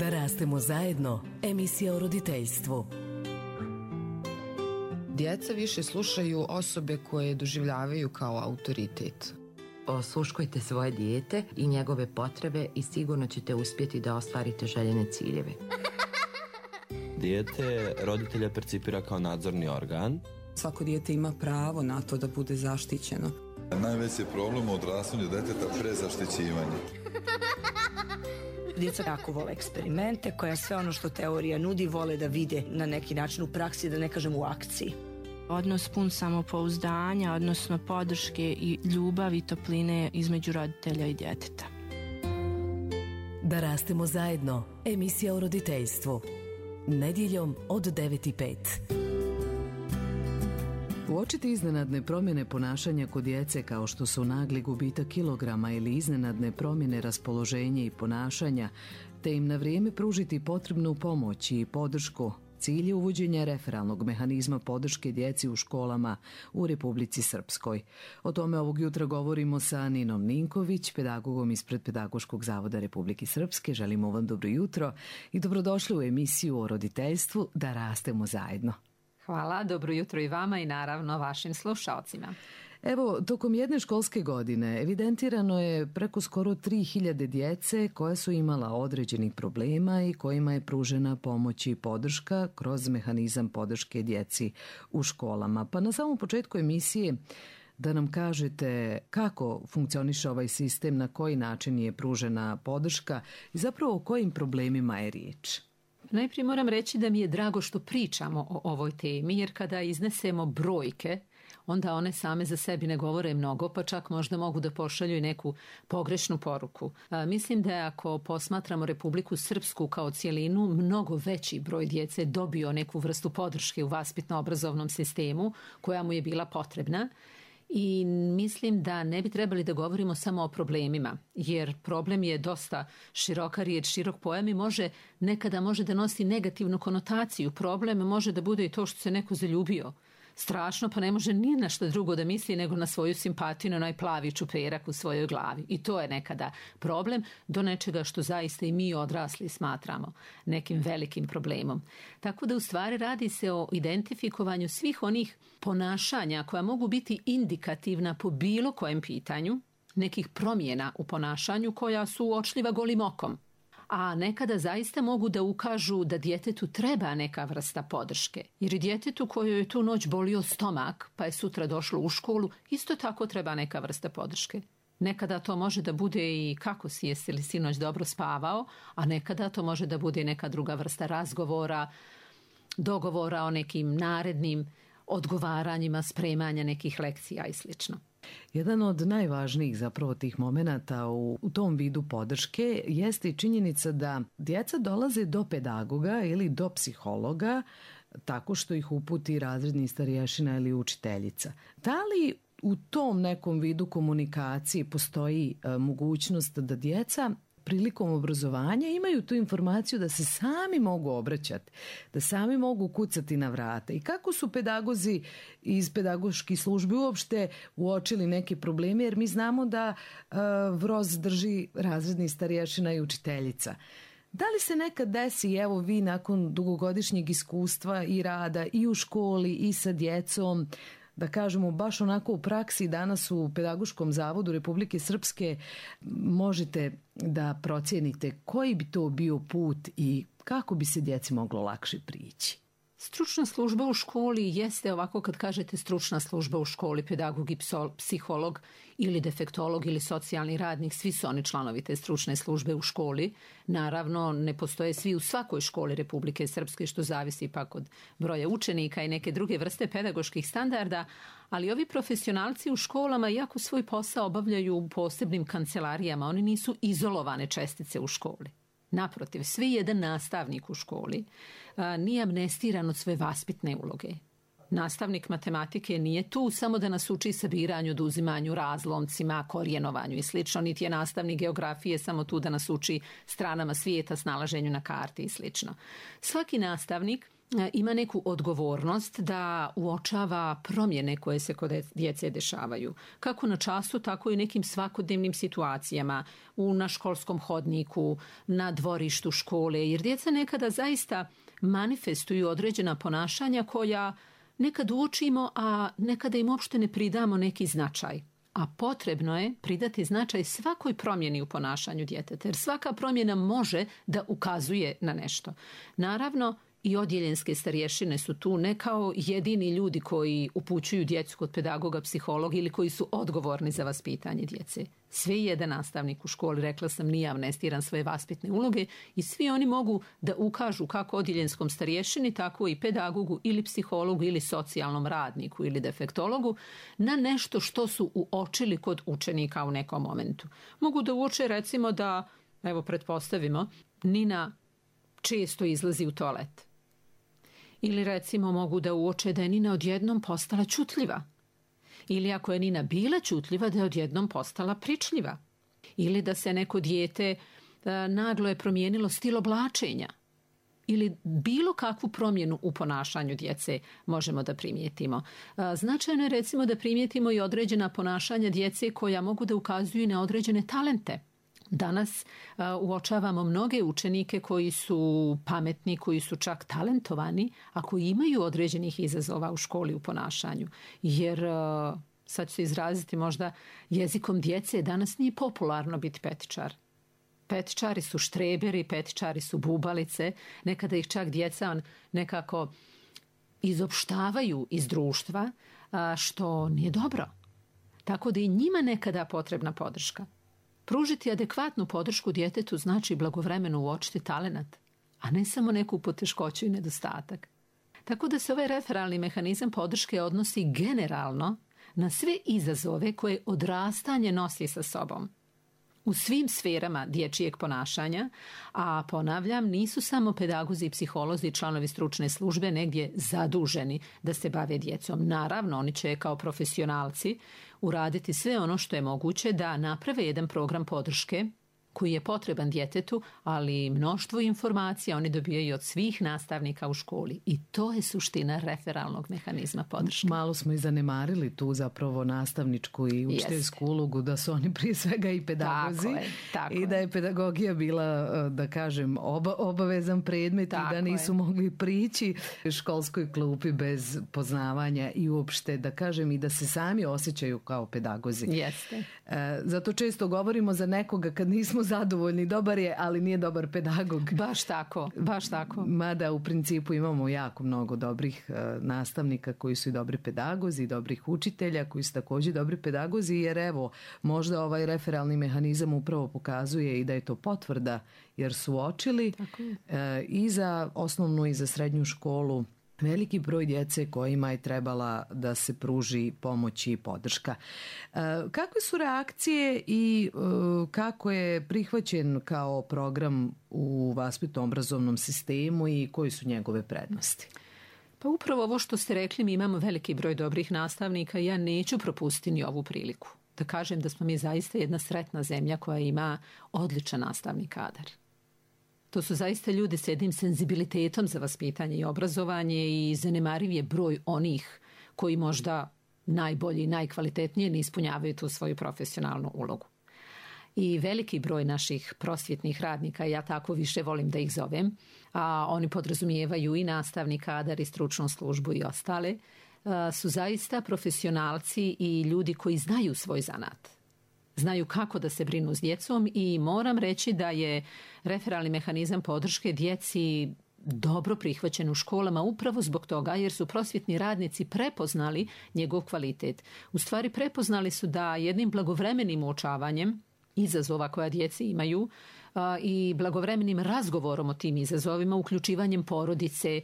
Da rastemo zajedno, emisija o roditeljstvu. Djeca više slušaju osobe koje doživljavaju kao autoritet. Osluškujte svoje dijete i njegove potrebe i sigurno ćete uspjeti da ostvarite željene ciljeve. Dijete roditelja percipira kao nadzorni organ. Svako dijete ima pravo na to da bude zaštićeno. Najveći je problem u odrastanju djeteta prezaštićivanje. Djeca jako vole eksperimente, koja sve ono što teorija nudi vole da vide na neki način u praksi, da ne kažem u akciji. Odnos pun samopouzdanja, odnosno podrške i ljubavi i topline između roditelja i djeteta. Da rastemo zajedno, emisija o roditeljstvu. Nedjeljom od 9:05. Uočiti iznenadne promjene ponašanja kod djece kao što su nagli gubitak kilograma ili iznenadne promjene raspoloženja i ponašanja, te im na vrijeme pružiti potrebnu pomoć i podršku. Cilj je uvođenja referalnog mehanizma podrške djeci u školama u Republici Srpskoj. O tome ovog jutra govorimo sa Ninom Ninković, pedagogom ispred Pedagoškog zavoda Republike Srpske. Želimo vam dobro jutro i dobrodošli u emisiju o roditeljstvu Da rastemo zajedno. Hvala, dobro jutro i vama i naravno vašim slušalcima. Evo, tokom jedne školske godine evidentirano je preko skoro 3000 djece koja su imala određenih problema i kojima je pružena pomoć i podrška kroz mehanizam podrške djeci u školama. Pa na samom početku emisije da nam kažete kako funkcioniše ovaj sistem, na koji način je pružena podrška i zapravo o kojim problemima je riječ. Najprije moram reći da mi je drago što pričamo o ovoj temi, jer kada iznesemo brojke, onda one same za sebi ne govore mnogo, pa čak možda mogu da pošalju i neku pogrešnu poruku. Mislim da je, ako posmatramo Republiku Srpsku kao cijelinu, mnogo veći broj djece dobio neku vrstu podrške u vaspitno-obrazovnom sistemu koja mu je bila potrebna. I mislim da ne bi trebali da govorimo samo o problemima, jer problem je dosta široka riječ, širok pojam i nekada može da nosi negativnu konotaciju. Problem može da bude i to što se neko zaljubio strašno, pa ne može ni na što drugo da misli nego na svoju simpatiju, na onaj plavi čuperak u svojoj glavi. I to je nekada problem do nečega što zaista i mi odrasli smatramo nekim velikim problemom. Tako da u stvari radi se o identifikovanju svih onih ponašanja koja mogu biti indikativna po bilo kojem pitanju, nekih promjena u ponašanju koja su uočljiva golim okom. A nekada zaista mogu da ukažu da djetetu treba neka vrsta podrške. Jer i djetetu kojoj je tu noć bolio stomak, pa je sutra došlo u školu, isto tako treba neka vrsta podrške. Nekada to može da bude i kako si, jesi li sinoć dobro spavao, a nekada to može da bude i neka druga vrsta razgovora, dogovora o nekim narednim odgovaranjima, spremanja nekih lekcija i slično. Jedan od najvažnijih zapravo tih momenata u tom vidu podrške jeste i činjenica da djeca dolaze do pedagoga ili do psihologa tako što ih uputi razredni starješina ili učiteljica. Da li u tom nekom vidu komunikacije postoji mogućnost da djeca prilikom obrazovanja imaju tu informaciju da se sami mogu obraćati, da sami mogu kucati na vrata? I kako su pedagozi iz pedagoških službi uopšte uočili neke probleme, jer mi znamo da VROZ drži razredni starješina i učiteljica. Da li se nekad desi, evo vi nakon dugogodišnjeg iskustva i rada i u školi i sa djecom, da kažemo baš onako u praksi danas u Pedagoškom zavodu Republike Srpske, možete da procijenite koji bi to bio put i kako bi se djeci moglo lakše prići? Stručna služba u školi jeste, ovako kad kažete stručna služba u školi, pedagog i psiholog ili defektolog ili socijalni radnik, svi su oni članovi te stručne službe u školi. Naravno, ne postoje svi u svakoj školi Republike Srpske, što zavisi pak od broja učenika i neke druge vrste pedagoških standarda, ali ovi profesionalci u školama, iako svoj posao obavljaju u posebnim kancelarijama, oni nisu izolovane čestice u školi. Naprotiv, svi jedan nastavnik u školi nije amnestiran od svoje vaspitne uloge. Nastavnik matematike nije tu samo da nas uči sabiranju, oduzimanju, razlomcima, korijenovanju i slično, niti je nastavnik geografije samo tu da nas uči stranama svijeta, snalaženju na karti i slično. Svaki nastavnik ima neku odgovornost da uočava promjene koje se kod djece dešavaju. Kako na času, tako i nekim svakodnevnim situacijama, na školskom hodniku, na dvorištu škole, jer djeca nekada zaista manifestuju određena ponašanja koja nekad uočimo, a nekada im uopšte ne pridamo neki značaj. A potrebno je pridati značaj svakoj promjeni u ponašanju djeteta, jer svaka promjena može da ukazuje na nešto. Naravno, i odjeljenske starješine su tu ne kao jedini ljudi koji upućuju djecu kod pedagoga, psihologa ili koji su odgovorni za vaspitanje djece. Sve jedan nastavnik u školi, rekla sam, nije amnestiran svoje vaspitne uloge i svi oni mogu da ukažu kako odjeljenskom starješini, tako i pedagogu ili psihologu ili socijalnom radniku ili defektologu na nešto što su uočili kod učenika u nekom momentu. Mogu da uoče recimo da, evo pretpostavimo, Nina često izlazi u toalet. Ili recimo mogu da uoče da je Nina odjednom postala ćutljiva. Ili ako je Nina bila ćutljiva, da je odjednom postala pričljiva. Ili da se neko dijete naglo je promijenilo stil oblačenja. Ili bilo kakvu promjenu u ponašanju djece možemo da primijetimo. Značajno je recimo da primijetimo i određena ponašanja djece koja mogu da ukazuju na određene talente. Danas uočavamo mnoge učenike koji su pametni, koji su čak talentovani, a koji imaju određenih izazova u školi u ponašanju. Jer, sad ću se izraziti možda jezikom djece, danas nije popularno biti petičar. Petičari su štreberi, petičari su bubalice, nekada ih čak djeca nekako izopštavaju iz društva, što nije dobro. Tako da i njima nekada potrebna podrška. Pružiti adekvatnu podršku djetetu znači blagovremeno uočiti talenat, a ne samo neku poteškoću i nedostatak. Tako da se ovaj referalni mehanizam podrške odnosi generalno na sve izazove koje odrastanje nosi sa sobom. U svim sferama dječjeg ponašanja, a ponavljam, nisu samo pedagozi, psiholozi i članovi stručne službe negdje zaduženi da se bave djecom. Naravno, oni će kao profesionalci uraditi sve ono što je moguće da naprave jedan program podrške koji je potreban djetetu, ali mnoštvo informacija oni dobijaju od svih nastavnika u školi. I to je suština referalnog mehanizma podrške. Malo smo i zanemarili tu zapravo nastavničku i učiteljsku ulogu, da su oni prije svega i pedagozi. Tako i da je pedagogija bila, da kažem, obavezan predmet i da nisu mogli prići školskoj klupi bez poznavanja i uopšte, da kažem, i da se sami osjećaju kao pedagozi. Jeste. Zato često govorimo za nekoga kad nismo zadovoljni, dobar je, ali nije dobar pedagog. Baš tako, baš tako. Mada u principu imamo jako mnogo dobrih nastavnika koji su i dobri pedagozi, i dobrih učitelja koji su također dobri pedagozi, jer evo, možda ovaj referalni mehanizam upravo pokazuje i da je to potvrda, jer su uočili i za osnovnu i za srednju školu veliki broj djece kojima je trebala da se pruži pomoć i podrška. Kakve su reakcije i kako je prihvaćen kao program u vaspitno-obrazovnom sistemu i koji su njegove prednosti? Pa upravo ovo što ste rekli, mi imamo veliki broj dobrih nastavnika i ja neću propustiti ni ovu priliku. Da kažem da smo mi zaista jedna sretna zemlja koja ima odličan nastavni kadar. To su zaista ljudi s jednim senzibilitetom za vaspitanje i obrazovanje i zanemariv je broj onih koji možda najbolji i najkvalitetnije ne ispunjavaju tu svoju profesionalnu ulogu. I veliki broj naših prosvjetnih radnika, ja tako više volim da ih zovem, a oni podrazumijevaju i nastavni kadar i stručnu službu i ostale, su zaista profesionalci i ljudi koji znaju svoj zanat. Znaju kako da se brinu s djecom i moram reći da je referalni mehanizam podrške djeci dobro prihvaćen u školama upravo zbog toga jer su prosvjetni radnici prepoznali njegov kvalitet. U stvari prepoznali su da jednim blagovremenim uočavanjem izazova koja djeci imaju i blagovremenim razgovorom o tim izazovima, uključivanjem porodice,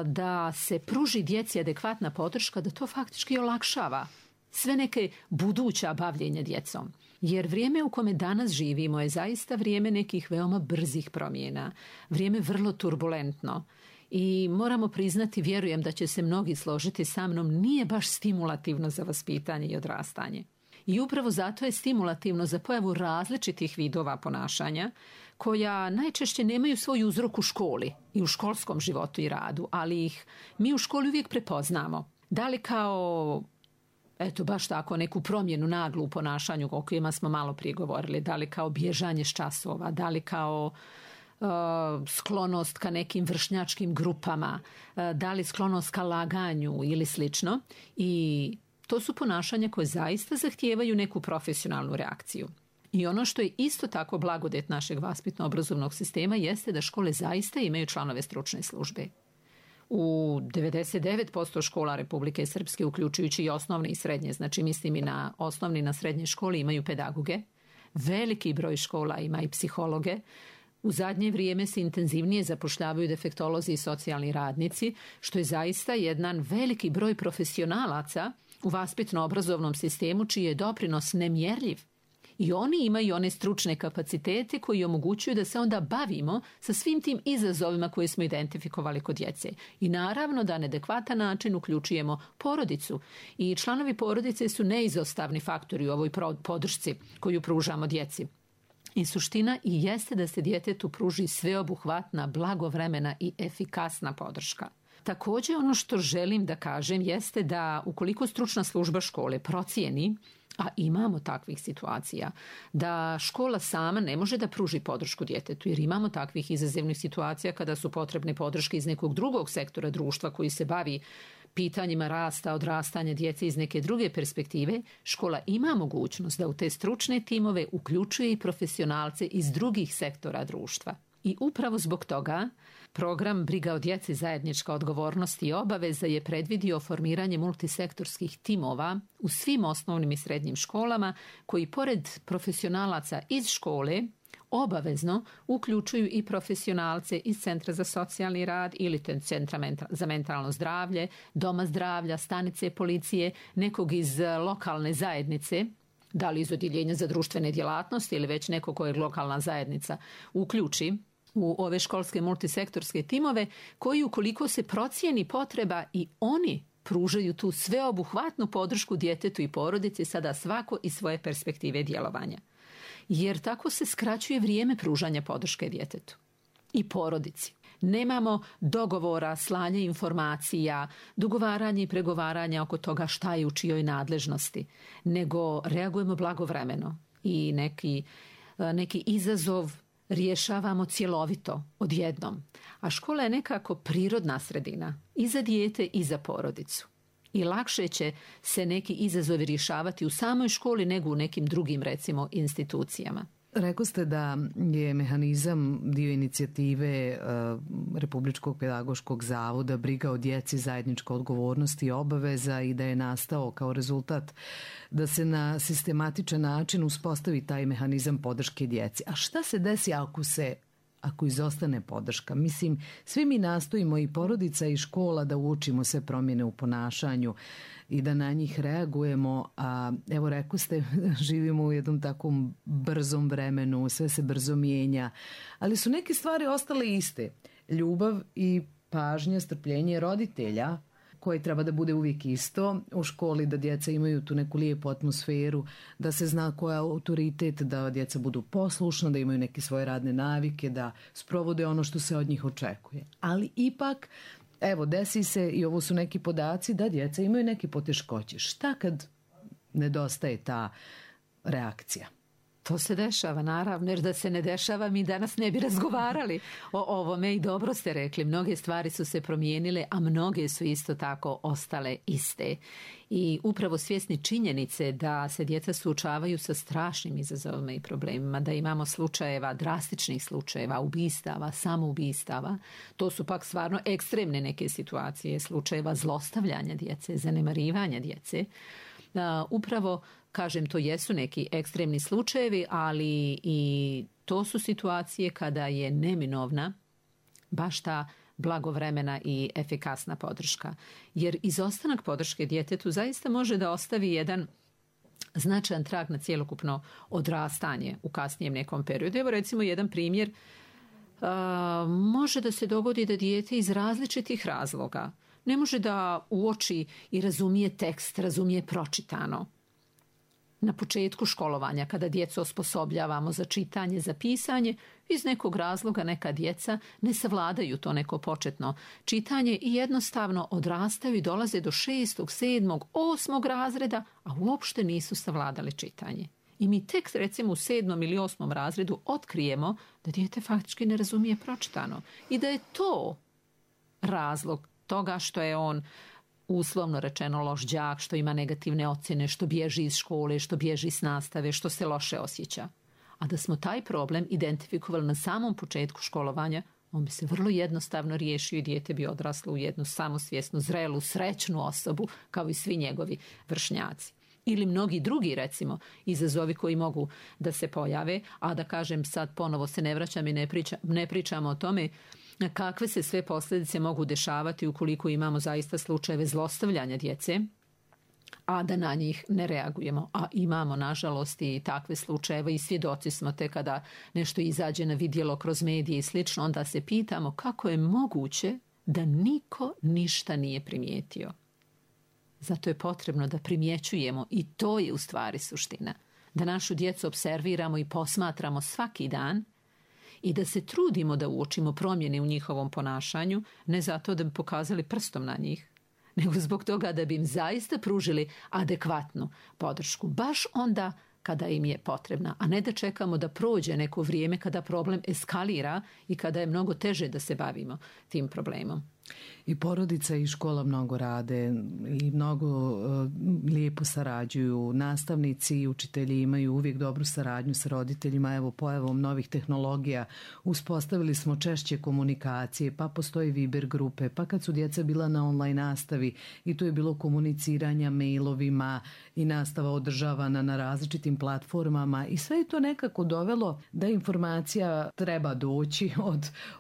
da se pruži djeci adekvatna podrška, da to faktički olakšava sve neke buduća bavljenja djecom. Jer vrijeme u kome danas živimo je zaista vrijeme nekih veoma brzih promjena, vrijeme vrlo turbulentno i moramo priznati, vjerujem da će se mnogi složiti sa mnom, nije baš stimulativno za vaspitanje i odrastanje. I upravo zato je stimulativno za pojavu različitih vidova ponašanja koja najčešće nemaju svoj uzrok u školi i u školskom životu i radu, ali ih mi u školi uvijek prepoznamo. Da li kao, eto baš tako, neku promjenu naglu u ponašanju o kojima smo malo prije govorili, da li kao bježanje s časova, da li kao sklonost ka nekim vršnjačkim grupama, da li sklonost ka laganju ili slično. I to su ponašanja koje zaista zahtijevaju neku profesionalnu reakciju. I ono što je isto tako blagodet našeg vaspitno-obrazovnog sistema jeste da škole zaista imaju članove stručne službe. U 99% škola Republike Srpske, uključujući i osnovne i srednje, znači mislim i na osnovne i na srednje škole, imaju pedagoge. Veliki broj škola ima i psihologe. U zadnje vrijeme se intenzivnije zapošljavaju defektolozi i socijalni radnici, što je zaista jedan veliki broj profesionalaca u vaspitno-obrazovnom sistemu čiji je doprinos nemjerljiv. I oni imaju one stručne kapacitete koji omogućuju da se onda bavimo sa svim tim izazovima koje smo identifikovali kod djece. I naravno da na adekvatan način uključujemo porodicu. I članovi porodice su neizostavni faktori u ovoj podršci koju pružamo djeci. I suština i jeste da se djetetu pruži sveobuhvatna, blagovremena i efikasna podrška. Također ono što želim da kažem jeste da ukoliko stručna služba škole procijeni, a imamo takvih situacija, da škola sama ne može da pruži podršku djetetu, jer imamo takvih izazovnih situacija kada su potrebne podrške iz nekog drugog sektora društva koji se bavi pitanjima rasta, odrastanja djece iz neke druge perspektive, škola ima mogućnost da u te stručne timove uključuje i profesionalce iz drugih sektora društva. I upravo zbog toga program Briga o djeci, zajednička odgovornost i obaveza je predvidio formiranje multisektorskih timova u svim osnovnim i srednjim školama koji pored profesionalaca iz škole obavezno uključuju i profesionalce iz Centra za socijalni rad ili Centra za mentalno zdravlje, Doma zdravlja, stanice policije, nekog iz lokalne zajednice, da li iz odjeljenja za društvene djelatnosti ili već neko kojeg lokalna zajednica uključi u ove školske multisektorske timove koji ukoliko se procijeni potreba i oni pružaju tu sveobuhvatnu podršku djetetu i porodici, sada svako iz svoje perspektive djelovanja. Jer tako se skraćuje vrijeme pružanja podrške djetetu i porodici. Nemamo dogovora, slanje informacija, dogovaranje i pregovaranja oko toga šta je u čijoj nadležnosti, nego reagujemo blagovremeno i neki izazov rješavamo cjelovito, odjednom. A škola je nekako prirodna sredina i za dijete i za porodicu. I lakše će se neki izazovi rješavati u samoj školi nego u nekim drugim, recimo, institucijama. Rekli ste da je mehanizam dio inicijative Republičkog pedagoškog zavoda Briga o djeci, zajednička odgovornost i obaveza i da je nastao kao rezultat da se na sistematičan način uspostavi taj mehanizam podrške djeci. A šta se desi ako izostane podrška? Mislim, svi mi nastojimo i porodica i škola da uočimo sve promjene u ponašanju i da na njih reagujemo, a evo rekli ste, živimo u jednom takvom brzom vremenu, sve se brzo mijenja, ali su neke stvari ostale iste. Ljubav i pažnja, strpljenje roditelja koje treba da bude uvijek isto u školi, da djeca imaju tu neku lijepu atmosferu, da se zna koja je autoritet, da djeca budu poslušna, da imaju neke svoje radne navike, da sprovode ono što se od njih očekuje. Ali ipak, evo, desi se, i ovo su neki podaci, da djeca imaju neke poteškoće. Šta kad nedostaje ta reakcija? To se dešava, naravno, jer da se ne dešava mi danas ne bi razgovarali o ovome i dobro ste rekli. Mnoge stvari su se promijenile, a mnoge su isto tako ostale iste. I upravo svjesni činjenice da se djeca suočavaju sa strašnim izazovima i problemima, da imamo slučajeva, drastičnih slučajeva, ubistava, samoubistava, to su pak stvarno ekstremne neke situacije, slučajeva zlostavljanja djece, zanemarivanja djece. Upravo, kažem, to jesu neki ekstremni slučajevi, ali i to su situacije kada je neminovna baš ta blagovremena i efikasna podrška. Jer izostanak podrške djetetu zaista može da ostavi jedan značajan trag na cjelokupno odrastanje u kasnijem nekom periodu. Evo recimo jedan primjer. Može da se dogodi da dijete iz različitih razloga ne može da uoči i razumije tekst, razumije pročitano. na početku školovanja, kada djecu osposobljavamo za čitanje, za pisanje, iz nekog razloga neka djeca ne savladaju to neko početno čitanje i jednostavno odrastaju i dolaze do 6., 7., 8. razreda, a uopšte nisu savladali čitanje. I mi tek recimo u 7. ili 8. razredu otkrijemo da dijete faktički ne razumije pročitano i da je to razlog toga što je on uslovno rečeno loš đak, što ima negativne ocjene, što bježi iz škole, što bježi s nastave, što se loše osjeća. A da smo taj problem identifikovali na samom početku školovanja, on bi se vrlo jednostavno riješio i dijete bi odraslo u jednu samosvjesnu, zrelu, srećnu osobu kao i svi njegovi vršnjaci. Ili mnogi drugi, recimo, izazovi koji mogu da se pojave, a da kažem sad ponovo se ne vraćam i ne pričamo o tome kakve se sve posljedice mogu dešavati ukoliko imamo zaista slučajeve zlostavljanja djece, a da na njih ne reagujemo. A imamo, nažalost, i takve slučajeve i svjedoci smo te kada nešto izađe na vidjelo kroz medije i slično, onda se pitamo kako je moguće da niko ništa nije primijetio. Zato je potrebno da primjećujemo i to je u stvari suština. Da našu djecu observiramo i posmatramo svaki dan i da se trudimo da uočimo promjene u njihovom ponašanju, ne zato da bi pokazali prstom na njih, nego zbog toga da bi im zaista pružili adekvatnu podršku, baš onda kada im je potrebna, a ne da čekamo da prođe neko vrijeme kada problem eskalira i kada je mnogo teže da se bavimo tim problemom. I porodica i škola mnogo rade i mnogo lijepo sarađuju. Nastavnici i učitelji imaju uvijek dobru saradnju sa roditeljima. Evo, pojavom novih tehnologija uspostavili smo češće komunikacije, pa postoji Viber grupe, pa kad su djeca bila na online nastavi i tu je bilo komuniciranja mailovima i nastava održavana na različitim platformama i sve je to nekako dovelo da informacija treba doći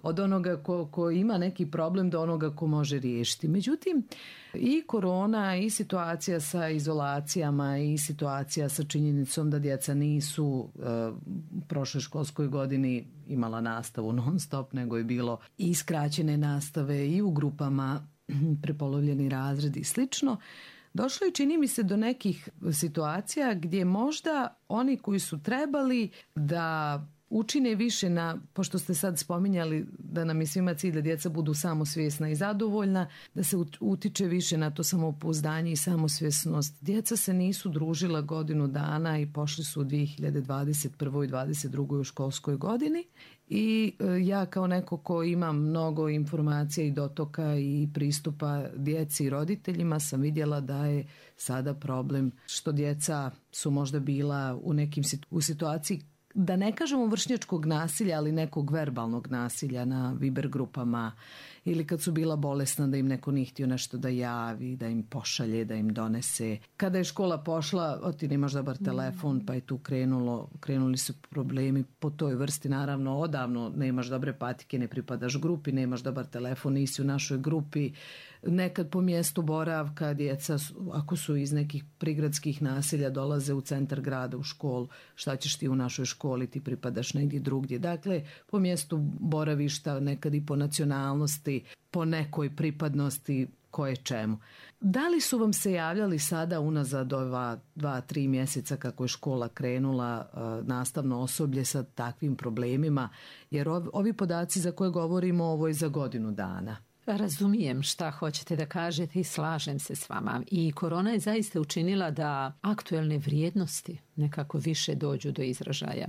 od onoga ko ima neki problem do onoga ko može riješiti. Međutim, i korona i situacija sa izolacijama i situacija sa činjenicom da djeca nisu u prošloj školskoj godini imala nastavu non stop, nego je bilo i skraćene nastave i u grupama, prepolovljeni razredi i slično. Došlo je, čini mi se, do nekih situacija gdje možda oni koji su trebali da učine više pošto ste sad spominjali da nam je svima cilj da djeca budu samosvjesna i zadovoljna, da se utiče više na to samopouzdanje i samosvjesnost. Djeca se nisu družila godinu dana i pošli su u 2021. i 2022. u školskoj godini i ja kao neko ko ima mnogo informacija i dotoka i pristupa djeci i roditeljima sam vidjela da je sada problem što djeca su možda bila u situaciji, da ne kažemo vršnjačkog nasilja, ali nekog verbalnog nasilja na Viber grupama ili kad su bila bolesna da im neko nije htio nešto da javi, da im pošalje, da im donese. Kada je škola pošla, ti nemaš dobar telefon, pa je tu krenuli su problemi po toj vrsti. Naravno, odavno nemaš dobre patike, ne pripadaš grupi, nemaš dobar telefon, nisi u našoj grupi. Nekad po mjestu boravka djeca, ako su iz nekih prigradskih naselja, dolaze u centar grada u školu. Šta ćeš ti u našoj školi, ti pripadaš negdje drugdje. Dakle, po mjestu boravišta, nekad i po nacionalnosti, po nekoj pripadnosti koje čemu. Da li su vam se javljali sada unazad ova 2-3 mjeseca kako je škola krenula, nastavno osoblje sa takvim problemima? Jer ovi podaci za koje govorimo, ovo je za godinu dana. Razumijem šta hoćete da kažete i slažem se s vama. I korona je zaista učinila da aktuelne vrijednosti nekako više dođu do izražaja.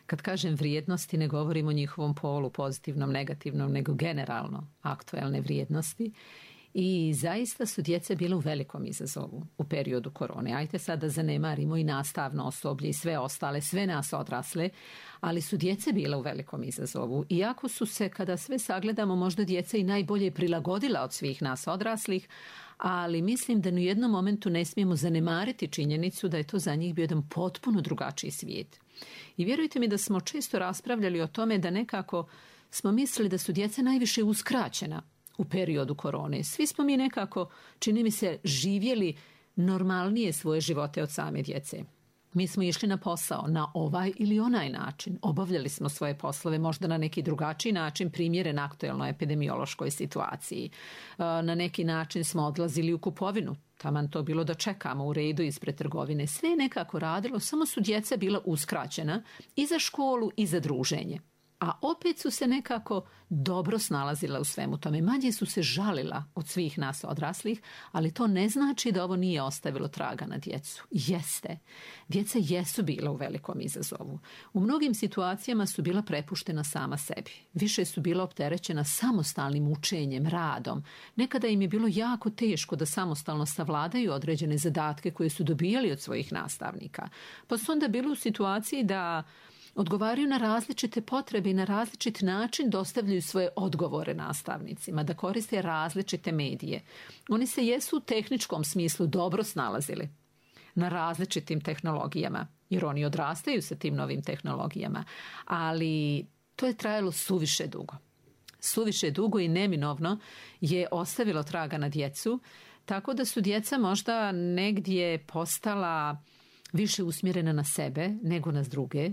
Kad kažem vrijednosti, ne govorim o njihovom polu, pozitivnom, negativnom, nego generalno aktuelne vrijednosti. I zaista su djeca bile u velikom izazovu u periodu korone. Ajde sad da zanemarimo i nastavno osoblje i sve ostale, sve nas odrasle, ali su djece bile u velikom izazovu. Iako su se, kada sve sagledamo, možda djeca i najbolje prilagodila od svih nas odraslih, ali mislim da ni u jednom momentu ne smijemo zanemariti činjenicu da je to za njih bio jedan potpuno drugačiji svijet. I vjerujte mi da smo često raspravljali o tome da nekako smo mislili da su djeca najviše uskraćena u periodu korone. Svi smo mi nekako, čini mi se, živjeli normalnije svoje živote od same djece. Mi smo išli na posao na ovaj ili onaj način. Obavljali smo svoje poslove možda na neki drugačiji način, primjeren aktuelnoj epidemiološkoj situaciji. Na neki način smo odlazili u kupovinu. taman to bilo da čekamo u redu ispred trgovine. Sve je nekako radilo, samo su djeca bila uskraćena i za školu i za druženje. A opet su se nekako dobro snalazila u svemu tome. Manje su se žalila od svih nas odraslih, ali to ne znači da ovo nije ostavilo traga na djecu. Jeste. Djeca jesu bila u velikom izazovu. U mnogim situacijama su bila prepuštena sama sebi. Više su bila opterećena samostalnim učenjem, radom. Nekada im je bilo jako teško da samostalno savladaju određene zadatke koje su dobijali od svojih nastavnika. Pa su onda bili u situaciji da odgovaraju na različite potrebe i na različit način dostavljaju svoje odgovore nastavnicima, da koriste različite medije. Oni se jesu u tehničkom smislu dobro snalazili na različitim tehnologijama, jer oni odrastaju sa tim novim tehnologijama, ali to je trajalo suviše dugo. Suviše dugo i neminovno je ostavilo traga na djecu, tako da su djeca možda negdje postala više usmjerena na sebe nego na druge.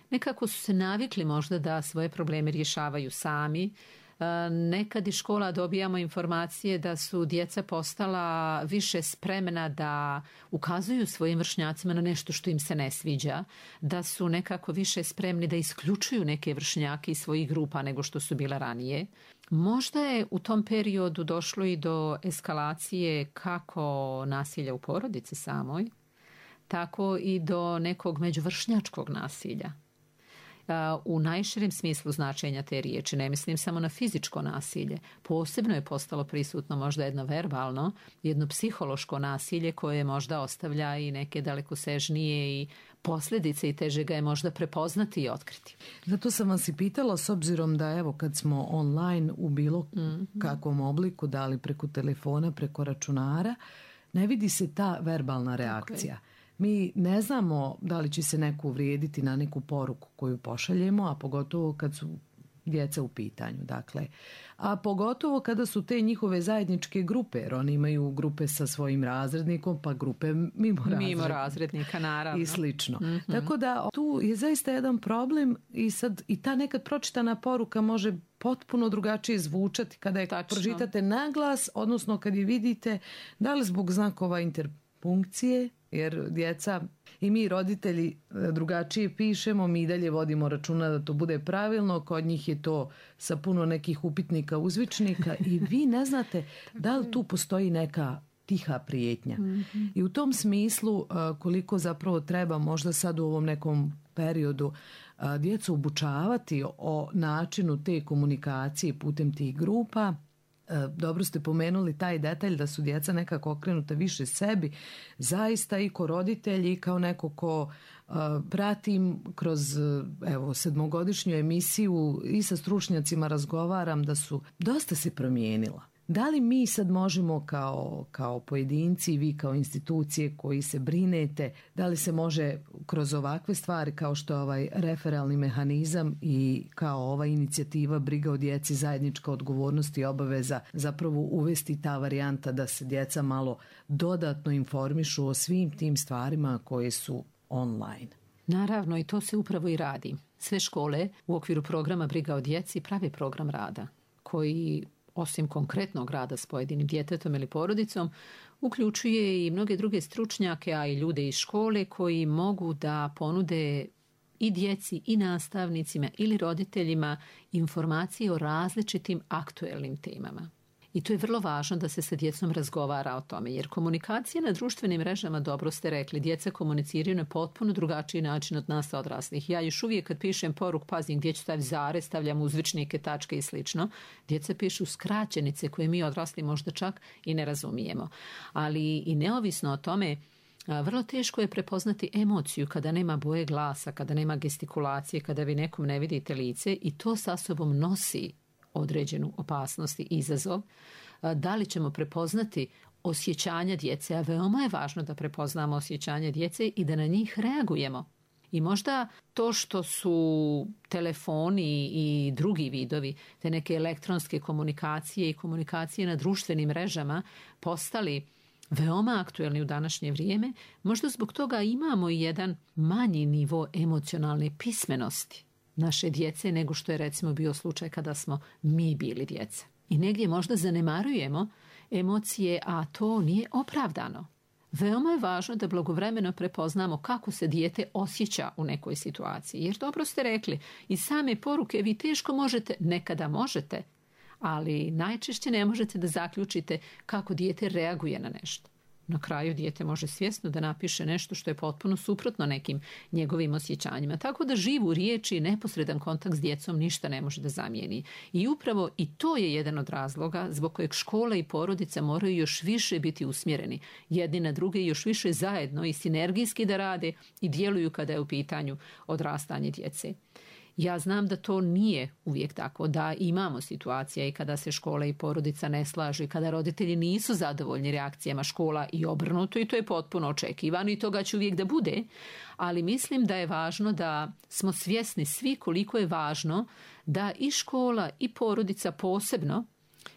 Nekako su se navikli možda da svoje probleme rješavaju sami. Nekad iz škola dobijamo informacije da su djeca postala više spremna da ukazuju svojim vršnjacima na nešto što im se ne sviđa, da su nekako više spremni da isključuju neke vršnjake iz svojih grupa nego što su bila ranije. Možda je u tom periodu došlo i do eskalacije kako nasilja u porodici samoj, tako i do nekog međuvršnjačkog nasilja. U najširem smislu značenja te riječi, ne mislim samo na fizičko nasilje. Posebno je postalo prisutno možda jedno verbalno, jedno psihološko nasilje koje možda ostavlja i neke dalekosežnije i posljedice i teže ga je možda prepoznati i otkriti. Zato sam vas i pitala, s obzirom da evo kad smo online u bilo kakvom obliku, da li preko telefona, preko računara, ne vidi se ta verbalna reakcija. Mi ne znamo da li će se neko uvrijediti na neku poruku koju pošaljemo, a pogotovo kad su djeca u pitanju. Dakle, a pogotovo kada su te njihove zajedničke grupe, jer oni imaju grupe sa svojim razrednikom, pa grupe mimo razrednika, naravno. I slično. Tako da tu je zaista jedan problem i sad i ta nekad pročitana poruka može potpuno drugačije zvučati kada je pročitate na glas, odnosno kad je vidite, da li zbog znakova interpunkcije, jer djeca i mi roditelji drugačije pišemo, mi dalje vodimo računa da to bude pravilno, kod njih je to sa puno nekih upitnika, uzvičnika i vi ne znate da li tu postoji neka tiha prijetnja. I u tom smislu koliko zapravo treba možda sad u ovom nekom periodu djecu obučavati o načinu te komunikacije putem tih grupa. Dobro ste pomenuli taj detalj da su djeca nekako okrenuta više sebi, zaista i ko roditelji i kao neko ko pratim kroz evo 7-godišnju emisiju i sa stručnjacima razgovaram da su dosta se promijenila. Da li mi sad možemo kao pojedinci i vi kao institucije koji se brinete, da li se može kroz ovakve stvari kao što je ovaj referalni mehanizam i kao ova inicijativa briga o djeci, zajednička odgovornost i obaveza zapravo uvesti ta varijanta da se djeca malo dodatno informišu o svim tim stvarima koje su online? Naravno, i to se upravo i radi. Sve škole u okviru programa briga o djeci prave program rada koji osim konkretnog rada s pojedinim djetetom ili porodicom, uključuje i mnoge druge stručnjake, a i ljude iz škole koji mogu da ponude i djeci i nastavnicima ili roditeljima informacije o različitim aktuelnim temama. I to je vrlo važno da se sa djecom razgovara o tome, jer komunikacija na društvenim mrežama, dobro ste rekli, djeca komuniciraju na potpuno drugačiji način od nas odraslih. Ja još uvijek kad pišem poruk, pazim gdje ću staviti zarez, stavljam uzvičnike, tačke i slično. Djeca pišu skraćenice koje mi odrasli možda čak i ne razumijemo. Ali i neovisno o tome, vrlo teško je prepoznati emociju kada nema boje glasa, kada nema gestikulacije, kada vi nekom ne vidite lice i to sa sobom nosi određenu opasnost i izazov. Da li ćemo prepoznati osjećanja djece, a veoma je važno da prepoznamo osjećanja djece i da na njih reagujemo. I možda to što su telefoni i drugi vidovi, te neke elektronske komunikacije i komunikacije na društvenim mrežama postali veoma aktuelni u današnje vrijeme, možda zbog toga imamo i jedan manji nivo emocionalne pismenosti naše djece nego što je recimo bio slučaj kada smo mi bili djeca. I negdje možda zanemarujemo emocije, a to nije opravdano. Veoma je važno da blagovremeno prepoznamo kako se dijete osjeća u nekoj situaciji. Jer dobro ste rekli, iz same poruke vi teško možete, nekada možete, ali najčešće ne možete da zaključite kako dijete reaguje na nešto. Na kraju dijete može svjesno da napiše nešto što je potpuno suprotno nekim njegovim osjećanjima. Tako da živu riječi i neposredan kontakt s djecom ništa ne može da zamijeni. I upravo i to je jedan od razloga zbog kojeg škola i porodica moraju još više biti usmjereni jedni na druge i još više zajedno i sinergijski da rade i djeluju kada je u pitanju odrastanje djece. Ja znam da to nije uvijek tako, da imamo situacije i kada se škola i porodica ne slažu i kada roditelji nisu zadovoljni reakcijama škola i obrnuto, i to je potpuno očekivano i toga će uvijek da bude, ali mislim da je važno da smo svjesni svi koliko je važno da i škola i porodica posebno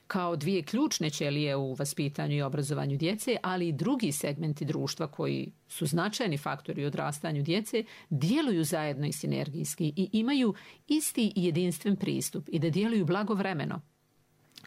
kao dvije ključne ćelije u vaspitanju i obrazovanju djece, ali i drugi segmenti društva koji su značajni faktori u odrastanju djece, djeluju zajedno i sinergijski i imaju isti i jedinstven pristup i da djeluju blagovremeno.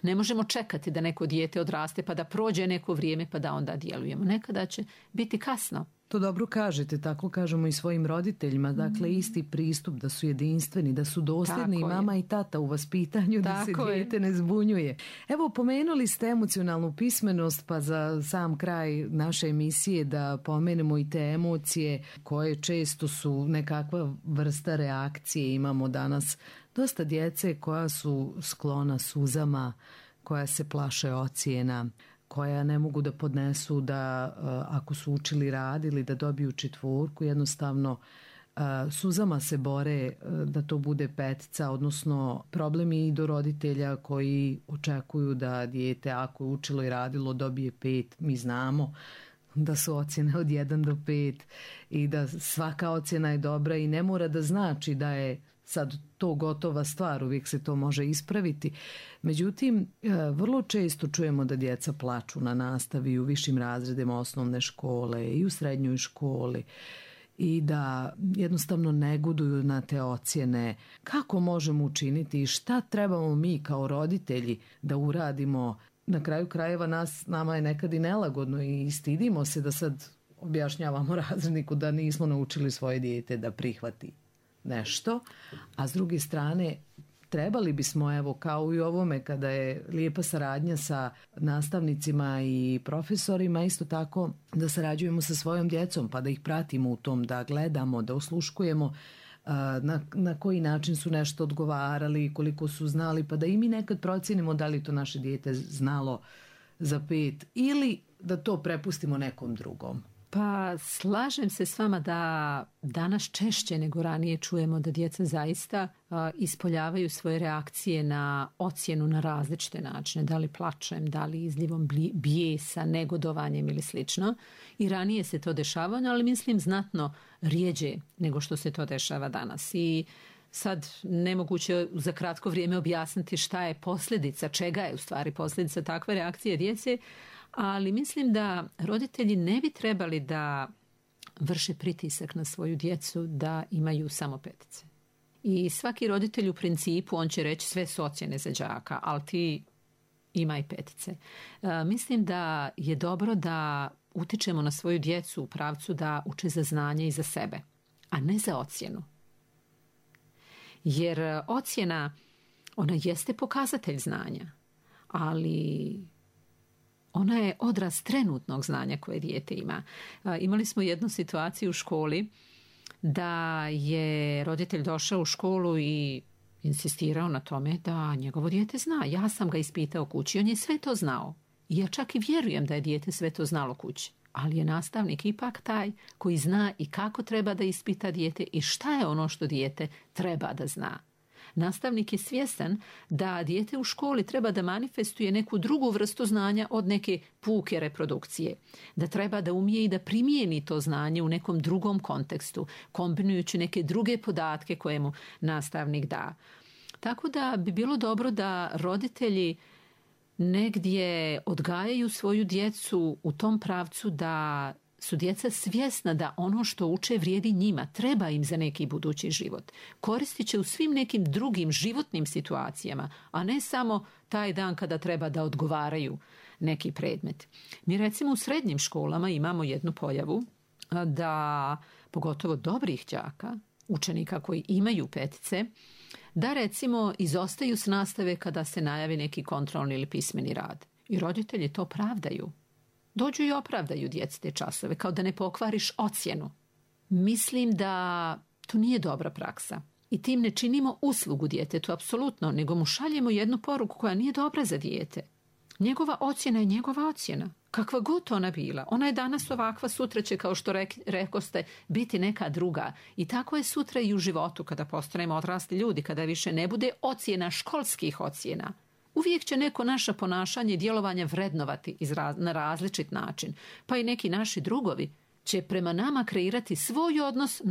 Ne možemo čekati da neko dijete odraste pa da prođe neko vrijeme pa da onda djelujemo. Nekada će biti kasno. To dobro kažete, tako kažemo i svojim roditeljima. Dakle, isti pristup, da su jedinstveni, da su dosljedni i mama i tata u vaspitanju, da se dijete ne zbunjuje. Evo, pomenuli ste emocionalnu pismenost, pa za sam kraj naše emisije da pomenemo i te emocije koje često su nekakva vrsta reakcije. Imamo danas dosta djece koja su sklona suzama, koja se plaše ocjena, koja ne mogu da podnesu da ako su učili, radili, da dobiju 4, jednostavno suzama se bore da to bude 5, odnosno problemi i do roditelja koji očekuju da dijete ako je učilo i radilo dobije 5. Mi znamo da su ocjene od 1 do 5 i da svaka ocjena je dobra i ne mora da znači da je sad to gotova stvar, uvijek se to može ispraviti. Međutim, vrlo često čujemo da djeca plaču na nastavi u višim razredima osnovne škole i u srednjoj školi i da jednostavno negoduju na te ocjene. Kako možemo učiniti i šta trebamo mi kao roditelji da uradimo? Na kraju krajeva nama je nekad i nelagodno i stidimo se da sad objašnjavamo razredniku da nismo naučili svoje dijete da prihvati nešto, a s druge strane trebali bismo, evo kao i ovome kada je lijepa saradnja sa nastavnicima i profesorima, isto tako da sarađujemo sa svojom djecom pa da ih pratimo u tom, da gledamo, da osluškujemo na koji način su nešto odgovarali, koliko su znali, pa da i mi nekad procijenimo da li to naše dijete znalo za 5 ili da to prepustimo nekom drugom. Pa slažem se s vama da danas češće nego ranije čujemo da djeca zaista ispoljavaju svoje reakcije na ocjenu na različite načine, da li plačem, da li izljevom bijesa, negodovanjem ili slično. I ranije se to dešavalo, ali mislim znatno rijeđe nego što se to dešava danas. I sad nemoguće za kratko vrijeme objasniti šta je posljedica, čega je u stvari posljedica takve reakcije djece, ali mislim da roditelji ne bi trebali da vrše pritisak na svoju djecu da imaju samo 5. I svaki roditelj u principu, on će reći sve su ocjene za đaka, ali ti imaj 5. Mislim da je dobro da utičemo na svoju djecu u pravcu da uče za znanje i za sebe, a ne za ocjenu. Jer ocjena, ona jeste pokazatelj znanja, ali ona je odraz trenutnog znanja koje dijete ima. Imali smo jednu situaciju u školi da je roditelj došao u školu i insistirao na tome da njegovo dijete zna. Ja sam ga ispitao kući, on je sve to znao. I ja čak i vjerujem da je dijete sve to znalo kući. Ali je nastavnik ipak taj koji zna i kako treba da ispita dijete i šta je ono što dijete treba da zna. Nastavnik je svjestan da dijete u školi treba da manifestuje neku drugu vrstu znanja od neke puke reprodukcije. Da treba da umije i da primijeni to znanje u nekom drugom kontekstu, kombinujući neke druge podatke koje mu nastavnik da. Tako da bi bilo dobro da roditelji negdje odgajaju svoju djecu u tom pravcu da su djeca svjesna da ono što uče vrijedi njima, treba im za neki budući život. Koristit će u svim nekim drugim životnim situacijama, a ne samo taj dan kada treba da odgovaraju neki predmet. Mi recimo u srednjim školama imamo jednu pojavu da pogotovo dobrih đaka, učenika koji imaju petice, da recimo izostaju s nastave kada se najavi neki kontrolni ili pismeni rad. I roditelji to pravdaju. Dođu i opravdaju djeci te časove, kao da ne pokvariš ocjenu. Mislim da to nije dobra praksa. I tim ne činimo uslugu djetetu, apsolutno, nego mu šaljemo jednu poruku koja nije dobra za dijete. Njegova ocjena je njegova ocjena. Kakva god ona bila. Ona je danas ovakva, sutra će, kao što rekoste, biti neka druga. I tako je sutra i u životu, kada postanemo odrasli ljudi, kada više ne bude ocjena školskih ocjena. Uvijek će neko naše ponašanje i djelovanje vrednovati na različit način. Pa i neki naši drugovi će prema nama kreirati svoj odnos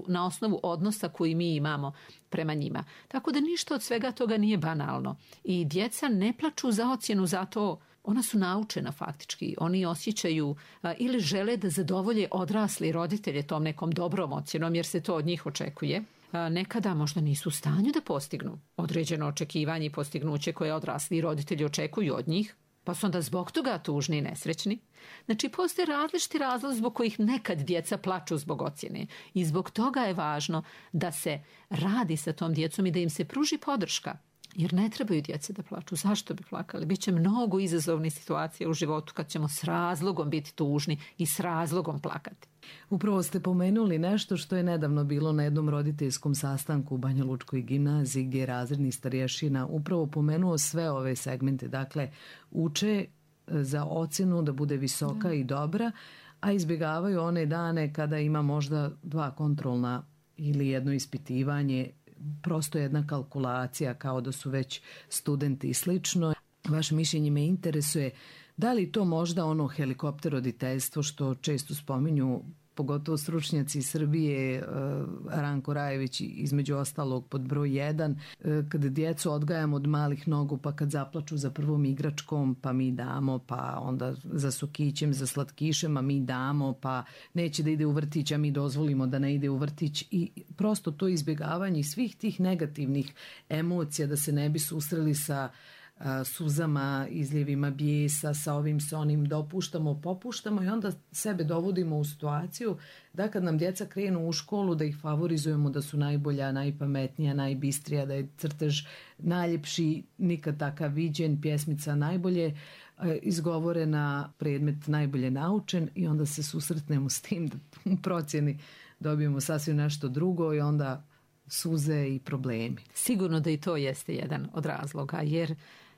na osnovu odnosa koji mi imamo prema njima. Tako da ništa od svega toga nije banalno. I djeca ne plaču za ocjenu, zato ona su naučena faktički. Oni osjećaju ili žele da zadovolje odrasli roditelje tom nekom dobrom ocjenom, jer se to od njih očekuje. Nekada možda nisu u stanju da postignu određeno očekivanje i postignuće koje odrasli roditelji očekuju od njih, pa su onda zbog toga tužni i nesrećni. Znači, postoje različiti razlozi zbog kojih nekad djeca plaču zbog ocjene. I zbog toga je važno da se radi sa tom djecom i da im se pruži podrška. Jer ne trebaju djece da plaču. Zašto bi plakali? Biće mnogo izazovnih situacija u životu kad ćemo s razlogom biti tužni i s razlogom plakati. Upravo ste pomenuli nešto što je nedavno bilo na jednom roditeljskom sastanku u Banjalučkoj gimnaziji, gdje je razredni starješina upravo pomenuo sve ove segmente. Dakle, uče za ocjenu da bude visoka i dobra, a izbjegavaju one dane kada ima možda 2 kontrolna ili jedno ispitivanje, prosto jedna kalkulacija kao da su već studenti i slično. Vaše mišljenje me interesuje, da li to možda ono helikopter roditeljstvo što često spominju, pogotovo stručnjaci iz Srbije, Ranko Rajević između ostalog pod broj 1, kada djecu odgajamo od malih nogu, pa kad zaplaču za prvom igračkom, pa mi damo, pa onda za sokićem, za slatkišem, a mi damo, pa neće da ide u vrtić, a mi dozvolimo da ne ide u vrtić, i prosto to izbjegavanje svih tih negativnih emocija, da se ne bi susreli sa suzama, izljevima bijesa, sa ovim, sa onim, dopuštamo, popuštamo i onda sebe dovodimo u situaciju da kad nam djeca krenu u školu da ih favorizujemo, da su najbolja, najpametnija, najbistrija, da je crtež najljepši, nikad takav viđen, pjesmica najbolje izgovorena, predmet najbolje naučen, i onda se susretnemo s tim da u procjeni dobijemo sasvim nešto drugo i onda suze i problemi. Sigurno da i to jeste jedan od razloga, jer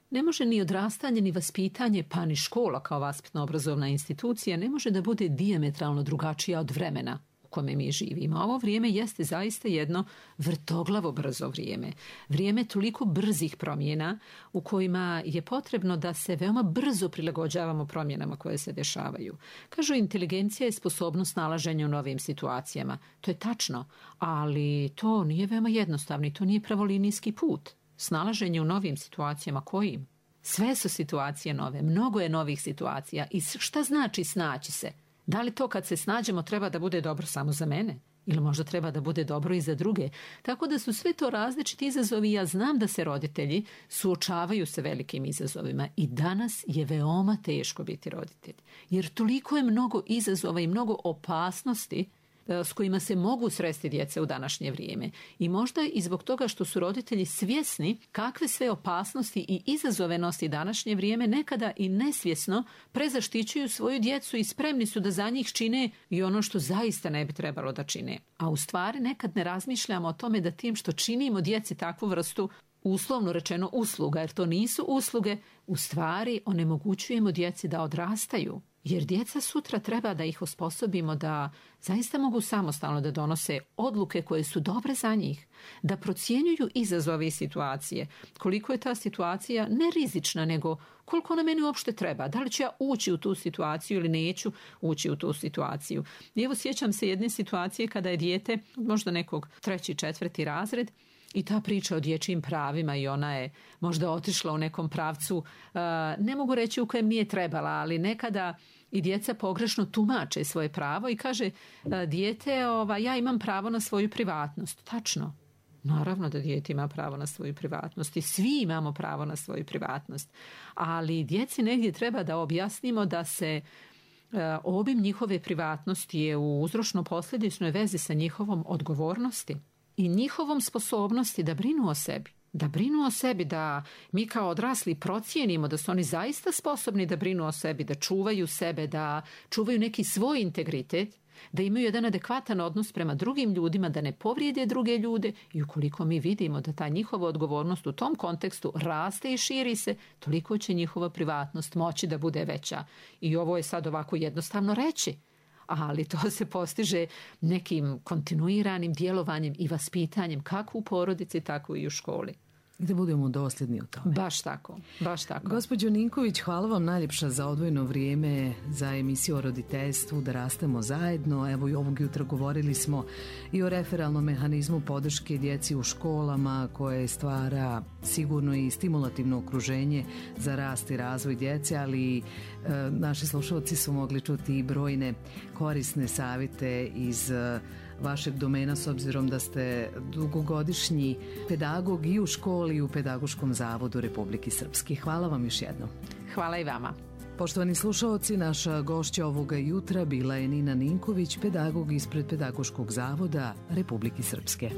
ne može ni odrastanje, ni vaspitanje, pa ni škola kao vaspitno-obrazovna institucija ne može da bude dijametralno drugačija od vremena u kome mi živimo. Ovo vrijeme jeste zaista jedno vrtoglavo brzo vrijeme. Vrijeme toliko brzih promjena u kojima je potrebno da se veoma brzo prilagođavamo promjenama koje se dešavaju. Kažu, inteligencija je sposobnost nalaženja u novim situacijama. To je tačno, ali to nije veoma jednostavno i to nije pravolinijski put. Snalaženje u novim situacijama kojim? Sve su situacije nove, mnogo je novih situacija. I šta znači snaći se? Da li to kad se snađemo treba da bude dobro samo za mene? Ili možda treba da bude dobro i za druge? Tako da su sve to različiti izazovi. Ja znam da se roditelji suočavaju sa velikim izazovima i danas je veoma teško biti roditelj. Jer toliko je mnogo izazova i mnogo opasnosti s kojima se mogu sresti djeca u današnje vrijeme. I možda i zbog toga što su roditelji svjesni kakve sve opasnosti i izazove nosi današnje vrijeme, nekada i nesvjesno prezaštićuju svoju djecu i spremni su da za njih čine i ono što zaista ne bi trebalo da čine. A u stvari nekad ne razmišljamo o tome da tim što činimo djeci takvu vrstu, uslovno rečeno, usluga, jer to nisu usluge, u stvari onemogućujemo djeci da odrastaju. Jer djeca sutra treba da ih osposobimo da zaista mogu samostalno da donose odluke koje su dobre za njih, da procjenjuju izazove i situacije, koliko je ta situacija ne rizična, nego koliko ona meni uopšte treba, da li ću ja ući u tu situaciju ili neću ući u tu situaciju. I evo, sjećam se jedne situacije kada je dijete, možda nekog 3. 4. razred, i ta priča o dječjim pravima, i ona je možda otišla u nekom pravcu, ne mogu reći u kojem nije trebala, ali nekada i djeca pogrešno tumače svoje pravo i kaže dijete, ja imam pravo na svoju privatnost. Tačno. Naravno da dijete ima pravo na svoju privatnost i svi imamo pravo na svoju privatnost, ali djeci negdje treba da objasnimo da se obim njihove privatnosti je u uzročno-posljedičnoj vezi sa njihovom odgovornosti i njihovom sposobnosti da brinu o sebi. Da brinu o sebi, da mi kao odrasli procijenimo da su oni zaista sposobni da brinu o sebi, da čuvaju sebe, da čuvaju neki svoj integritet, da imaju jedan adekvatan odnos prema drugim ljudima, da ne povrijede druge ljude i ukoliko mi vidimo da ta njihova odgovornost u tom kontekstu raste i širi se, toliko će njihova privatnost moći da bude veća. I ovo je sad ovako jednostavno reći, ali to se postiže nekim kontinuiranim djelovanjem i vaspitanjem kako u porodici, tako i u školi. Da budemo dosljedni u tome. Baš tako, baš tako. Gospođo Ninković, hvala vam najljepša za odvojeno vrijeme za emisiju o roditeljstvu, da rastemo zajedno. Evo i ovog jutra govorili smo i o referalnom mehanizmu podrške djeci u školama koje stvara sigurno i stimulativno okruženje za rast i razvoj djece, ali naši slušalci su mogli čuti i brojne korisne savjete iz vašeg domena, s obzirom da ste dugogodišnji pedagog i u školi i u Pedagoškom zavodu Republike Srpske. Hvala vam još jednom. Hvala i vama. Poštovani slušaoci, naša gošća ovoga jutra bila je Nina Ninković, pedagog ispred Pedagoškog zavoda Republike Srpske.